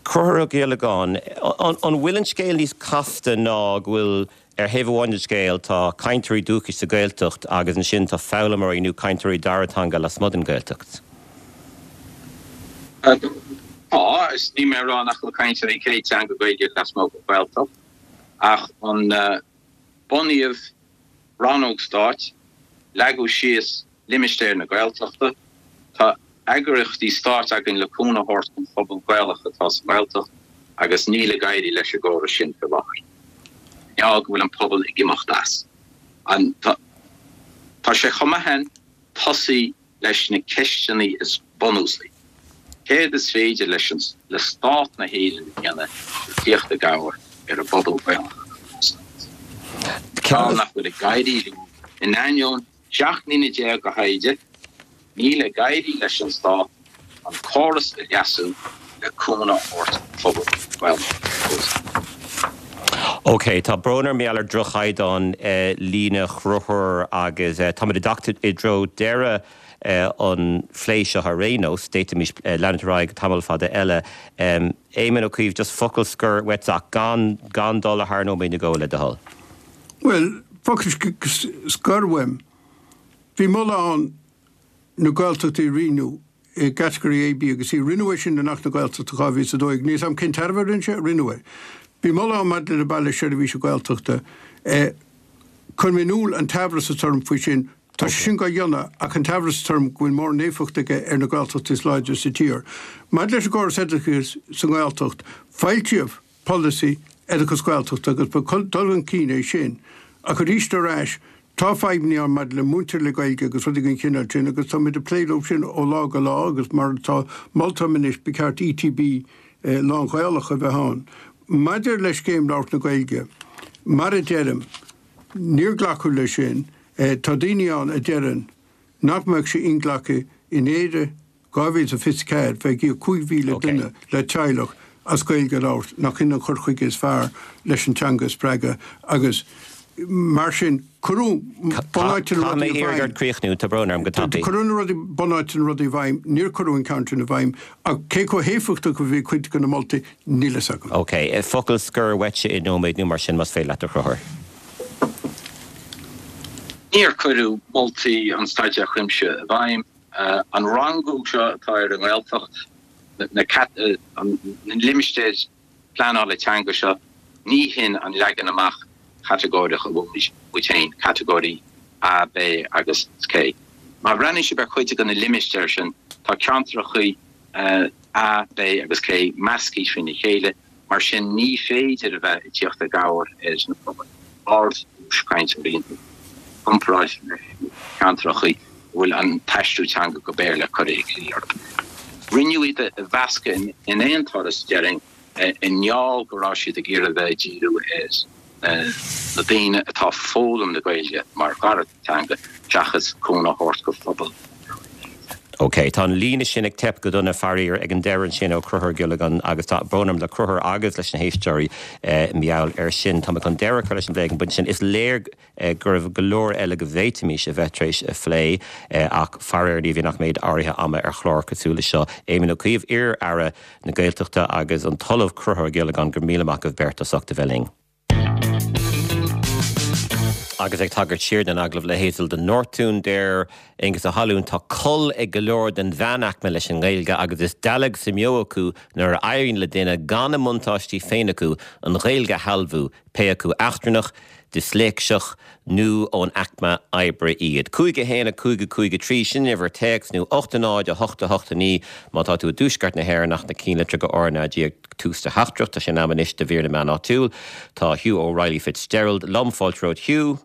Speaker 1: Conchúr Ó Giollagáin, an bhfuil an scéal níos casta ná go bhfuil ar thaobh amháin den scéal tá cainteoirí dúchais sa Ghaeltacht agus ansin tá foghlaimeoirí nó cainteoirí dara teanga lasmuigh den Ghaeltacht?
Speaker 5: Tá, is níl mé ag rá nach bhfuil cainteoirí céad teanga Gaeilge lasmuigh den Ghaeltacht. Ach an bunaíodh rannóg stáit, leagadh síos limistéir na Gaeltachta, tá. eagraíochtaí stáit againn le cúnamh a thabhairt don phobal Gaelach atá sa nGaeltacht agus níl ag éirí leis an gcóras sin faoi láthair. Mar gheall go bhfuil an pobal ag imeacht as. Tá sé chomh maith ann tosaí leis na ceisteanna is bunúsaí. Céard is féidir leis an le Stát na hÉireann a dhéanamh le tíocht i gcabhair ar an bpobal Gaelach atá sa Ghaeltacht? Ceann nach bhfuil ag éirí leo in ainneoin 17 mbliana de thaighde, níl ag éirí leis an Stát an córas a leasú le cúnamh a thabhairt don phobal Gaelach.
Speaker 1: Ok, tá brón orm mar gheall ar droch-chaighdeán líne Chonchúir agus táimid ag teacht i dtreo deireadh an phlé seo ar aon nós. D'fhéadfaimis leanúint ar aghaidh tamall fada eile. Éamon Ó Cuív, just focal scoir uait ach gan gan dul thar nóiméad nó dhó le do thoil.
Speaker 6: Bhuel, focal scoir uaim. Bhí moladh ann na Gaeltachtaí a rianú i gcatagóirí A, B agus C. Rinneadh é sin in Acht na Gaeltachta 2012. Níl 's a'm cén tairbhe a rinne sé, rinneadh é. Bhí moladh ann maidir le Baile Seirbhíse Gaeltachta. Chuir mé in iúl an t-aimhreas atá orm faoi sin. Tá sé sin dhá dhéanamh ach an t-aimhreas atá orm go bhfuil mórán éifeacht aige ar na Gaeltachtaí is láidre sa tír. Maidir leis an gcóras oideachais sa nGaeltacht, foilsíodh polasaí oideachais Gaeltachta agus ba dul chun cinn é sin. Ach arís ar ais, tá fadhbanna ann maidir le múinteoirí le Gaeilge agus rudaí den chineál sin agus táimid ag plé leo sin ó lá go lá agus mar atá molta agam anois ba cheart ETB lán-Ghaelach a bheith ann. Maidir le Scéim Labhairt na Gaeilge, mar a deirim, níor glacadh leis sin. Tá daoine ann a deireann nach mbeadh sé inghlactha in Éire 2024, bheith ag íoc 5,000 duine le teaghlach as Gaeilge a labhairt, nach in an cur chuige is fearr leis an teanga a spreagadh agus mar sin cuireadh bunáite na rudaí i bhfeidhm.
Speaker 1: Críochnú, tá brón orm go tapaidh.
Speaker 6: Cuireadh na rudaí, bunáite na rudaí i bhfeidhm, níor cuireadh an ceann sin i bhfeidhm ach cé chomh héifeachtach a bhí cuid de na moltaí, níl fhios agam.
Speaker 1: Ok, focal scoir uaitse i nóiméad nó mar sin más féidir leat a Chonchúir.
Speaker 5: Níor cuireadh moltaí an Staidéir Chuimsithigh i bhfeidhm. An rangú seo atá ar an nGaeltacht, na limistéir pleanála teanga seo, ní hin an leagan amach catagóireach a bhfuil muid féin, catagóirí A, B agus C. Má bhreathnaíonn sibh ar chuid de na limistéir sin, tá ceantracha A, B agus C measctha trína chéile. Mar sin, ní féidir a bheith ag tíocht i gcabhair ar na pobail ard-dlús cainteoirí i gcomparáid leis na ceantracha a bhfuil an t-aistriú teanga go Béarla curtha ina luí orthu. Rinneadh iad a mheascadh in aon turas, déarfainn, i ngeall go raibh siad ag iarraidh a bheith ag díriú ar na daoine atá ag foghlaim na Gaeilge mar dhara teanga seachas cúnamh a thabhairt go phobal
Speaker 1: Ok, tá an líne sin ag teip go dona faraor ag an deireadh ansin ó Chonchúr Ó Giollagáin agus tá brón orm le Conchúr agus leis na héisteoirí mar gheall air sin. Tá mé chun deireadh a chur leis an bplé ag an bpointe sin. Is léir go raibh go leor eile go bhféadfaimis a bheith tar éis a phlé ach faraor ní bhíonn ach méid áirithe ama ar chlár cosúil le seo. Éamon Ó Cuív, iar-aire na Gaeltachta agus an tOllamh Conchúr Ó Giollagáin, go raibh míle maith agaibh beirt as ucht a bheith linn. Agus ag tagairt siar don agallamh le Hazel de Nortún, deir Aengus Ó hAlmhain, tá col ag go leor den mheánaicme leis an nGaeilge agus is dealg sa mbeo acu nuair a éiríonn le duine gan a mbuntáistí féin acu an Ghaeilge a shealbhú, pé acu eachtrannach, disléicseach nó ón aicme oibre iad. 5 1 5 5 3, sin an uimhir téacs, nó 8 0 8 8 9 má tá tú i dtuaisceart na hÉireann ach na cinnlitreacha RnaG ag tús do theachtaireacht. Tá sé in am anois do mhír na meán áitiúil. Tá Hugh O'Reilly Fitzgerald liom. Fáilte romhat Hugh.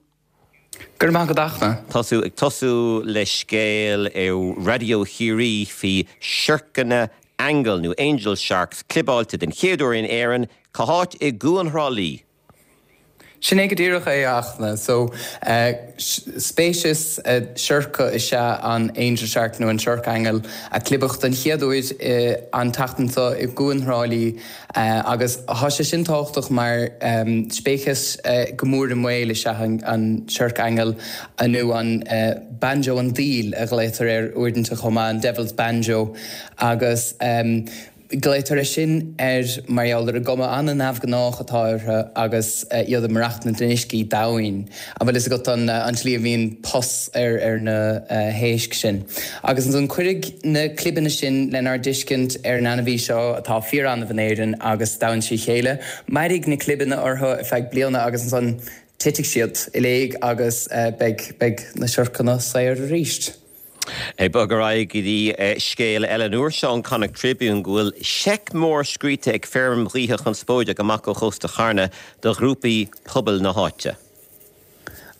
Speaker 7: Go raibh maith agat a Fhachtna.
Speaker 1: Tosú ag tosú le scéal ó Raidió Chiarraí faoi siorcanna aingeal nó angel sharks clibeáilte den chéad uair in Éirinn. Cá háit i gCuan Thrá Lí?
Speaker 7: Sin é go díreach é, a Fhachtna. So, speiceas siorca is ea an angel shark nó an siorc aingeal a clibeadh den chéad uair an tseachtain seo i gCuan Thrá Lí agus tá sé sin tábhachtach mar speiceas go mór i mbaol is ea an siorc aingeal nó an banjo an diabhail a ghlaotar air uaireanta chomh maith, an devil's banjo agus. Glaotar é sin air mar gheall ar an gcuma an-neamhghnách atá orthu agus iad ag maireachtaint in uiscí domhain. An bhfuil fhios agat an tslí a mbíonn pus ar na héisc sin? Agus ansan cuirfidh na clibeanna sin lenár dtuiscint ar an ainmhí seo atá fíor-annamh in Éirinn agus domhan trí chéile. Mairfidh na clibeanna orthu ar feadh bliana agus ansan titfidh siad i léig agus beidh na siorcanna saor arís.
Speaker 1: Ag bogadh ar aghaidh go dtí scéal eile an uair seo ón Connacht Tribune go bhfuil seic mór scríte ag feirm ghaoithe chonspóideach amach ó chósta Charna do ghrúpaí pobail na háite.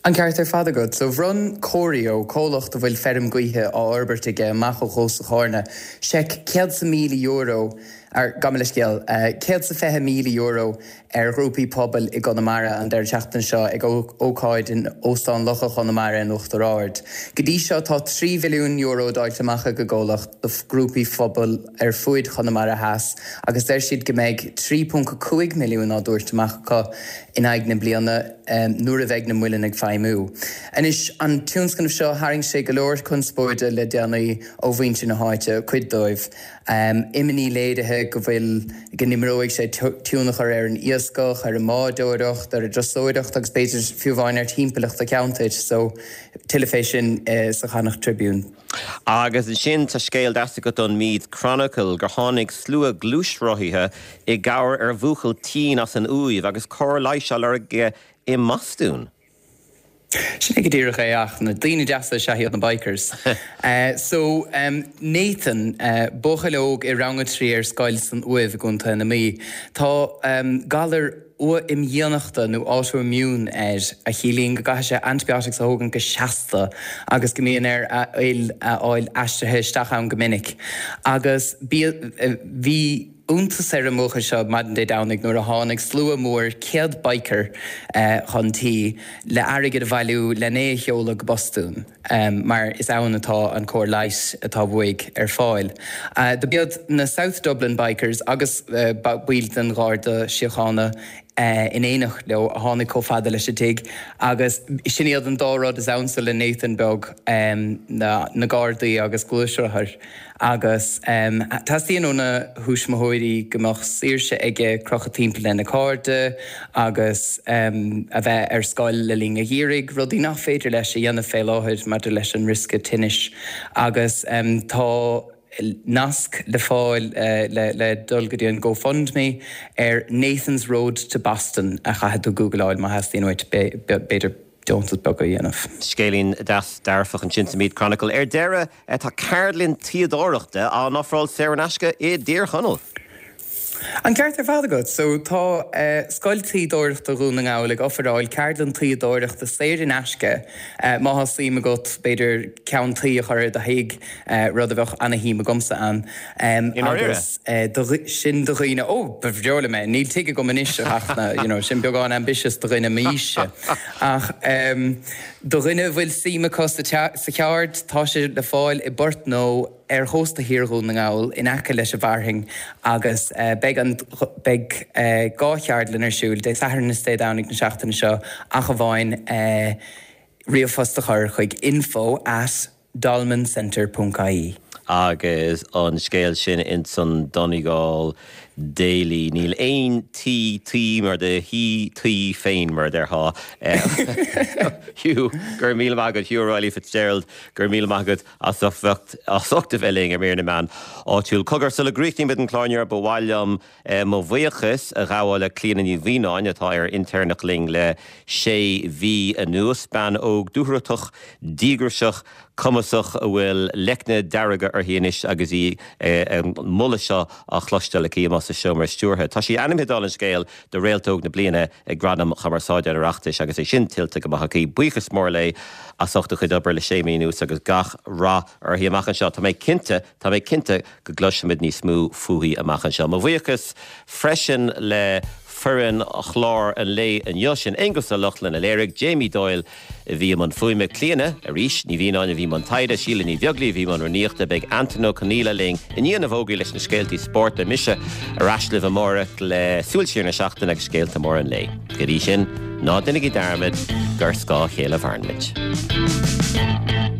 Speaker 7: An ceart ar fad agat. So bhronn Corio, comhlacht a bhfuil feirm gaoithe á fhorbairt aige amach ó chósta Chárna, seic €100,000, ar, gabh mo leithscéal, €120,000 ar ghrúpaí pobail i gConamara an deireadh seachtaine seo ag ócáid in Óstán Locha Chonamara in Uachtar Ard. Go dtí seo tá €3 mhilliún dáilte amach ag an gcomhlacht do ghrúpaí phobail ar fuaid Chonamara Theas agus deir siad go mbeidh 3.5 milliún á dtabhairt amach acu in aghaidh na bliana nuair a bheidh na muilinn ag feidhmiú. Anois, an tionscnamh seo, tharraing sé go leor conspóide le déanaí ó mhuintir na háite, cuid dóibh. Imní léirithe go bhfuil, go n-imreoidh sé tionchar ar an iascach, ar an mbádóireacht, ar an dturasóireacht agus b'fhéidir fiú amháin ar thimpeallacht an cheantair. So, tuilleadh fé sin sa Connacht Tribune.
Speaker 1: Agus ansin tá scéal deas agat ón Meath Chronicle gur tháinig slua gluaisrothaithe i gcabhair ar bhuachaill tinn as an Uaimh agus cóir leighis á lorg aige i mBostún.
Speaker 7: Sin é go díreach é ach na daoine deasa is ea iad na bikers. So, Nathan, buachaill óg i rang a 3 ar scoil san Uaimh i gContae na Mí. Tá galar uath-imdhíonachta nó autoimmune air, a chiallaíonn go gcaithfidh sé antibiotics a thógaint go seasta agus go mbíonn air a fhuil a fháil aistrithe isteach ann go minic. Agus bhí iontas ar an mbuachaill seo maidin Dé Domhnaigh nuair a tháinig slua mór 100 biker chun tí le airgead a bhailiú len é a sheoladh go Bostún. mar is ann atá an cóir leighis atá uaidh ar fáil. Do b'iad na South Dublin Bikers agus baill den Gharda Síochána in éineacht leo a tháinig chomh fada leis an tigh agus sin iad an dá rud is ansa le Nathan beag, na Gardaí agus gluaisrothair. Agus teastaíonn óna thuismitheoirí go mbeadh saoirse aige crochadh timpeall lena chairde agus a bheith ar scoil le linn an gheimhridh, rudaí nach féidir leis a dhéanamh fé láthair maidir leis an riosca tinnis. Agus tá nasc le fáil le dul go dtí an GoFundMe ar Nathan's Road to Boston a chaithfidh tú googleáil má theastaíonn uait b'fhéidir. deontas beag a dhéanamh.
Speaker 1: Scéilín deas dearfach ansin sa Meath Chronicle. Ar deireadh, tá ceardlann tuíodóireachta á n-ofráil saor in aisce i dTír Chonaill.
Speaker 7: An ceart ar fad agat. So, tá Scoil Tuíodóireachta Dhún na nGall ag ofráil ceardlann tuíodóireachta saor in aisce má tá suim agat, b'fhéidir, ceann tuí a chur ar do thigh, rud a bheadh ana-shuim agamsa ann. Agus sin do dhaoine, ó, ba bhreá liom é, níl tigh agam anois ach na, you know, sin beagán ambitious do dhuine m'aois-se. Ach do dhuine a bhfuil suim acu sa cheard, tá sé le fáil i bPort Nó ar chósta thiar Dhún na nGall in aice leis an bhFearthainn agus beidh an, beidh 2 cheardlann ar siúl Dé Sathairn is Dé Domhnaigh na seachtaine seo ach amháin ríomhphost a chur chuig info at dolmencentre ponc ie.
Speaker 1: Agus an scéal sin ins an Donegal Daily. Níl aon tí tuí mar do thí tuí féin, mar a déarfá. Hugh, go raibh míle maith agat. Hugh O'Reilly Fitzgerald, go raibh míle maith agat as ucht a bheith linn ar Mír na Meán Áitiúil. Cogar, sula gcríochnaímid an clár inniu, ba mhaith liom mo bhuíochas a ghabháil le Clíona Ní Mhianáin atá ar intéirneacht linn le sé mhí anuas. Bean óg dúthrachtach, díograiseach, cumasach a bhfuil leicne dearga uirthi anois agus í an moladh seo á chloisteáil aici amuigh sa seomra stiúrtha. Tá sí ainmnithe dála an scéil do Réalt Óg na Bliana ag Gradaim Chumarsáide an Oireachtais agus é sin tuillte go maith aici. Buíochas mór léi as ucht a cuid obair le sé mí anuas agus gach rath uirthi amach anseo. Tá mé cinnte, tá mé cinnte go gcloisfimid níos mó fúithi amach anseo. Mo bhuíochas freisin le foireann chlár an lae inniu, sin Aonghus Ó Lochlainn a léirigh, Jamie Doyle a bhí i mbun fuaime, Clíona, arís, Ní Mhianáin a bhí i mbun taighde, Síle Ní Bheaglaoí a bhí i mbun rúnaíochta, beidh Antain Ó Conaola linn i ndiaidh na bhfógraí leis na scéaltaí spóirt, beidh mise ar ais libh amárach le súil siar na seachtaine agus scéalta móra an lae. Go dtí sin, ná déanaigí dearmad gur ar scáth a chéile a mhaireann muid.